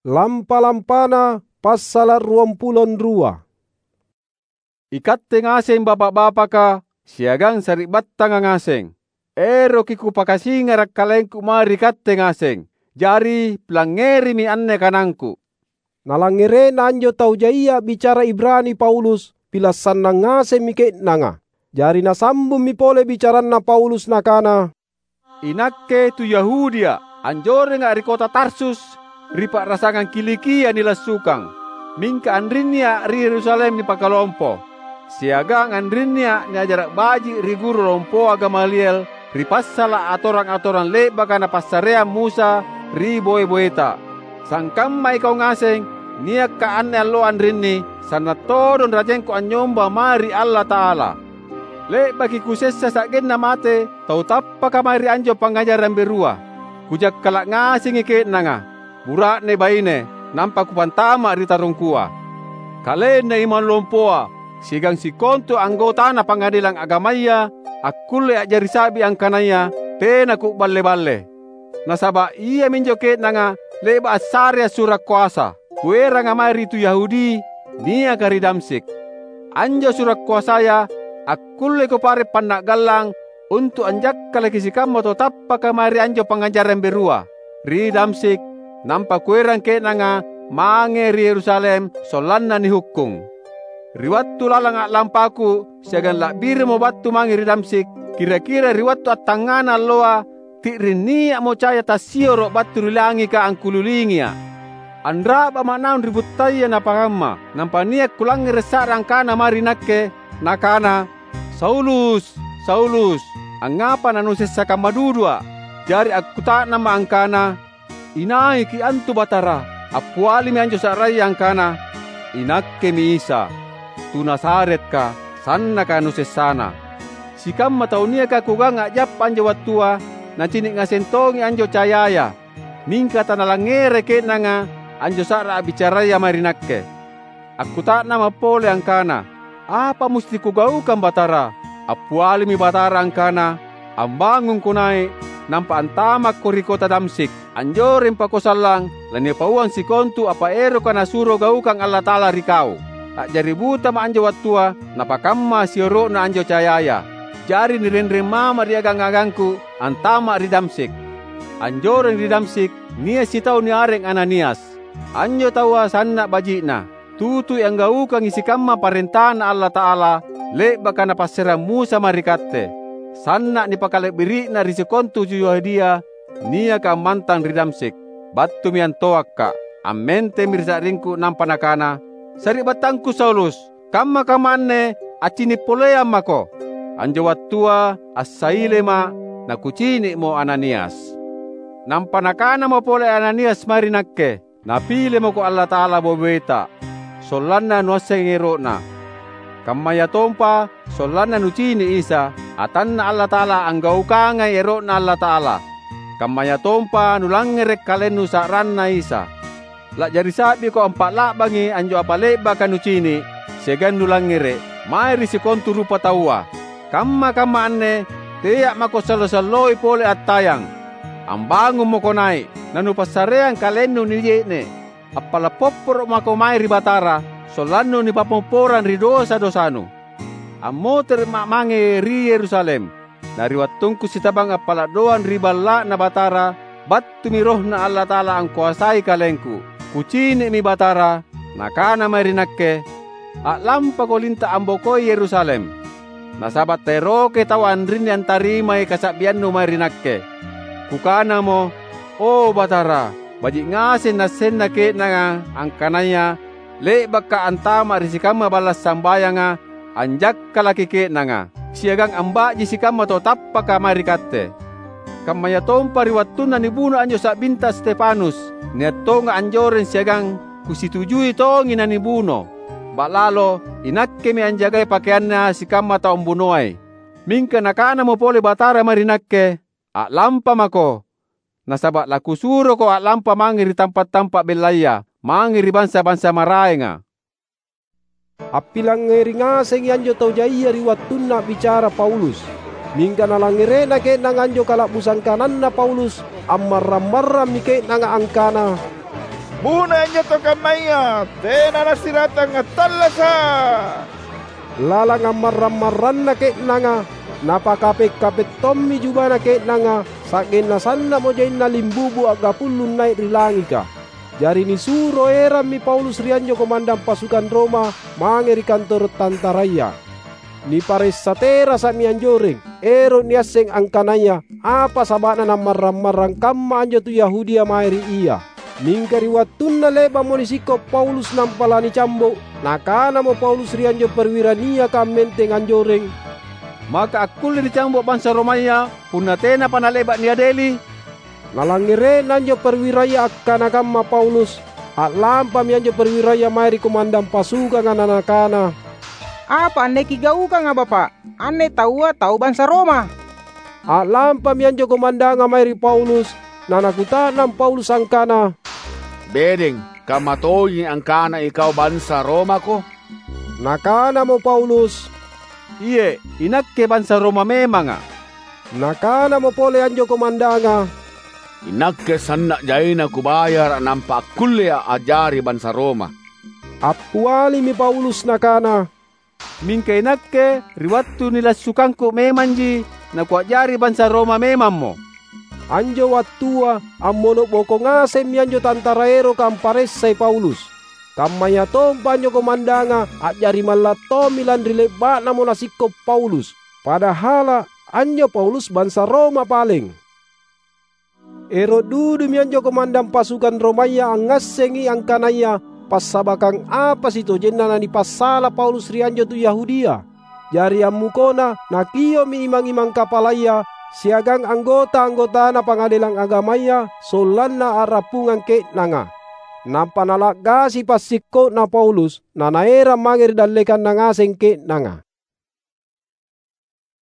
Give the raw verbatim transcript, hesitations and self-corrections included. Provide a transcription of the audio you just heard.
Lampa-lampana passala’ ruampulo anrua. Ikatte ngaseng bapa’-bapaka siagang sari'battanga ngaseng, eroki kupakasingara’ kalengku mae ri katte ngaseng. Jari, pilangngerimi anne kanangku." Nalangngere'na anjo tau jaia a'bicara Ibrani Paulus, pila’ sannang ngasemmi ke'nanga. Jari nasambummi pole bicaranna Paulus nakana, "Inakke tu Yahudia, anjorenga’ ri kota Tarsus, ri pa'rasangang Kilikia nilassukang. Mingka anrinnia’ ri Yerusalem nipakalompo, siagang anrinnia’ niajara’ baji’ ri guru lompoa Gamaliel ri passala’ atorang-atorang le'baka napassareang Musa ri boe-boeta. Sangkamma ikau ngaseng, niakka’ anne alloa anrinni, sanna’ todong rajengku anynyomba mae ri Allata'ala. Le'baki kusessa sa'genna mate tau tappaka mae ri anjo pangngajarang berua. Kujakkala’ ngasengi ke'nanga, bura'ne baine, nampa kupantama’ ri tarungkua. Kalenna imang lompoa siagang sikontu anggotana Pangngadelang Agamaya akkulle a'jari sa'bi angkanaya tena ku'balle-balle. Nasaba’ iaminjo ke'nanga le'ba’ assarea sura’ koasa, kueranga mae ri tu Yahudi niaka ri Damsyik. Anjo sura’ koasaya akkullei kupare’ panna'gallang untu’ anjakkalaki sikamma tau tappaka mae ri anjo pangngajarang berua ri Damsyik, nampa kuerang ke'nanga mange ri Yerusalem sollanna nihukkung. Ri wattu lalang a'lampaku siagang la'birimo battu mange ri Damsyik, kira-kira ri wattu attangngana alloa, ti'ring nia'mo caya tassioro’ battu ri langika angkulilingia’. Anra'ba'ma’ naung ri buttaya napakamma, nampa nia’ kulangngere’ sa'ra angkana mae ri nakke, nakana, 'Saulus, Saulus, angngapa nanusessa kamma dudua?' Jari akkuta'namma’ angkana, 'Inaiki antu, Batara?' Appialimi anjo sa'raya angkana, 'Inakkemi Isa, tu Nazaretka, sannaka nusessana.' Sikamma tau niaka kugaung a'jappa anjo wattua, nacini’ ngaseng tongi anjo cayaya, mingka tanalangngerai ke'nanga anjo sa'ra a'bicaraya mae ri nakke. Akkuta'namma’ pole angkana, 'Apa musti kugaukang, Batara?' Appialimi Batara angkana, 'Ambangungko nai’, nampa antamakko ri kota Damsyik. Anjoreng pako sallang lanipauang sikontu apa eroka Nasuro gaukang Allata'ala ri kau.' A'jari butama’ anjo wattua napakamma sioro'na anjo cayaya. Jari nirenreng mama’ ri agang-agangku antama’ ri Damsyik. Anjoreng ri Damsyik nia’ sitau niareng Ananias. Anjo taua sanna’ baji'na. Tutui anggaukangi sikamma parentaNa Allata'ala le'baka Napassareang Musa mae ri katte. Sanna’ nipakala'biri'na ri sikontu tu Yahudia niaka ammantang ri Damsyik. Battumi antoakka’, ammentemmi ri sa'ringku nampa nakana, 'Sari'battangku Saulus, kamma-kamma anne accini’ poleang mako!' Anjo wattua assailema’ nakucini'mo Ananias. Nampa nakanamo pole Ananias mae ri nakke, 'Napile mako Allata'ala boe-boeta, sollanna nuassengi ero'Na. Kammayatompa sollanna nucini’ Isa, atanNa Allata'ala anggaukangai ero'Na Allata'ala. Kammayatompa nulangngere’ kalennu sa'ranNa Isa. La'jari sa'biko ampa'la'bangi anjo apa le'baka nucini’ siagang nulangngere’ mae ri sikontu rupataua. Kamma-kamma anne tea’ mako sallo-salloi pole attayang. Ambangung mako nai’, nanupassareang kalennu nije'ne’. Appala’ popporo’ mako mae ri Batara, sollannu nipammopporang ri dosa-dosanu. Ammotere'ma’ mange ri Yerusalem. Na ri wattungku sitabang appala’ doang ri Balla'Na Batara, battumi RohNa Allata'ala angkoasai kalengku. Kucini'mi Batara, Nakana mae ri nakke, 'A'lampako linta’ ambokoi Yerusalem. Nasaba’ taerokai tau anrinni antarimai kasa'biannu mae ri nakke.' Kukanamo, 'O Batara, baji’ ngaseng naassenna ke'nanga angkanaya le'bakka’ antama’ ri sikamma balla’ sambayanga, anjakkalaki ke'nanga, siagang amba'ji sikamma tau tappaka mae ri katte.' Kammayatompa ri wattunna nibuno anjo sa'binta Stefanus, nia’ tonga’ anjoreng siagang kusitujui tongi nanibuno. Ba'lalo inakkemi anjagai pakeanna sikamma tau ambunoai. Mingka Nakanamo pole Batara mae ri nakke, 'A'lampa mako, nasaba’ laKusuroko a'lampa mange ri tampa’-tampa’ bellaya, mange ri bansa-bansa maraenga.'" Appilangngeri ngasengi anjo tau jaia ri wattunna a'bicara Paulus. Mingka nalangngere'na ke'nanga anjo kala'busang kananna Paulus, ammarrang-marrammi ke'nanga angkana, "Bunoi anjo tau kammaya! Tena nasiratang attallasa'!" Lalang ammarrang-marranna ke'nanga, napakape'-kape' tommi jubana ke'nanga, sa'genna sanna'mo jaina limbubu a'gapullung nai' ri langika. Jari nisuro erammi Paulus ri anjo komandang pasukang Roma mange ri kantoro' tantaraya. Niparessa terasa'mi anjoreng, ero' niasseng angkanaya apa saba'na nammarrang-marrang kamma anjo tu Yahudia mae ri ia. Mingka ri wattunna le'ba'mo nisikko' Paulus nampa lanicambo', nakanamo Paulus ri anjo perwira niaka ammenteng anjoreng, "Maka akkulle nicambo' bansa Romaya punna tenapa nale'ba' niadeli?" Nalangngere'na anjo perwiraya akkana kamma Paulus, a'lampami anjo perwiraya mae ri komandang pasukanga nanakana, "Apa anne kigaukanga, Bapa'? Anne taua tau bansa Roma." A'lampami anjo komandanga mae ri Paulus, nanakuta'nang Paulus angkana, "Bedeng, kamma tonji angkana ikau bansa Romako?" Nakanamo Paulus, "Iye', inakke bansa Roma memanga'." Nakanamo pole anjo komandanga, "Inakke sanna' jaina kubayara' nampa akkullea' a'jari bansa Roma." Appialimi Paulus nakana, "Mingka inakke ri wattu nilassukangku memanji nakua'jari bansa Roma memammo." Anjo wattua ammono' boko ngasemmi anjo tantara eroka amparessai Paulus. Kammayatompa anjo komandanga a'jari malla' tommi lanri le'ba'namo nasikko' Paulus, padahala' anjo Paulus bansa Roma paleng. Ero' dudumi anjo komandang pasukang Romaya angngassengi angkanaya passabakang apa sitojenna nanipassala Paulus ri anjo tu Yahudia. Jari ammukona nakio'mi imang-imang kapalaya siagang anggota-anggotana Pangadelang Agamaya sollanna a'rappungang ke'nanga. Nampa nala'gasi passikko'na Paulus, nanaerang mange ri dallekanna ngaseng ke'nanga.